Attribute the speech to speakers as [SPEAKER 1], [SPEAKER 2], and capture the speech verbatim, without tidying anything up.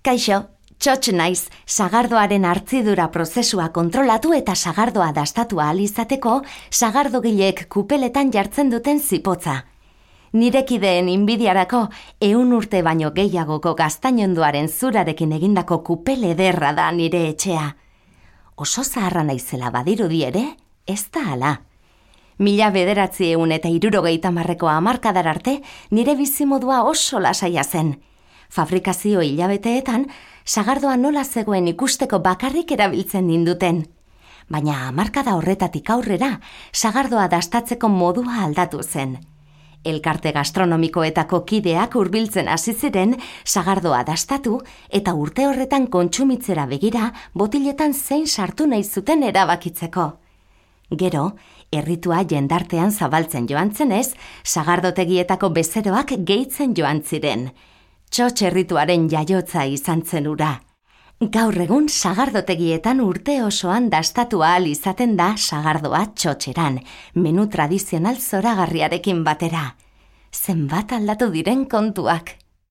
[SPEAKER 1] Kaixo, txotx naiz, sagardoaren hartzidura prozesua kontrolatu eta sagardoa dastatu ahal izateko sagardogileek kupeletan jartzen duten zipotza. Nirekideen inbidiarako ehun urte baino gehiagoko gaztainondoaren zurarekin egindako kupel ederra da nire etxea. Oso zaharra naizela badirudi ere, ez da hala. Mila bederatzi ehun eta hirurogeita hamarreko hamarkadar arte nire bizimodua oso lasaia zen. Fabrikazio hilabeteetan, sagardoa nola zegoen ikusteko bakarrik erabiltzen ninduten. Baina hamarkada horretatik aurrera, sagardoa dastatzeko modua aldatu zen. Elkarte gastronomikoetako kideak hurbiltzen hasi ziren sagardoa dastatu eta urte horretan kontsumitzera begira botiletan zein sartu nahi zuten erabakitzeko. Gero, erritua jendartean zabaltzen joan zenez, sagardotegietako bezeroak gehitzen joan ziren. Txotx errituaren jaiotza izan zen hura. Gaur egun sagardotegietan urte osoan dastatu ahal izaten da sagardoa txotxeran, menu tradizional zoragarriarekin batera. Zenbat aldatu diren kontuak.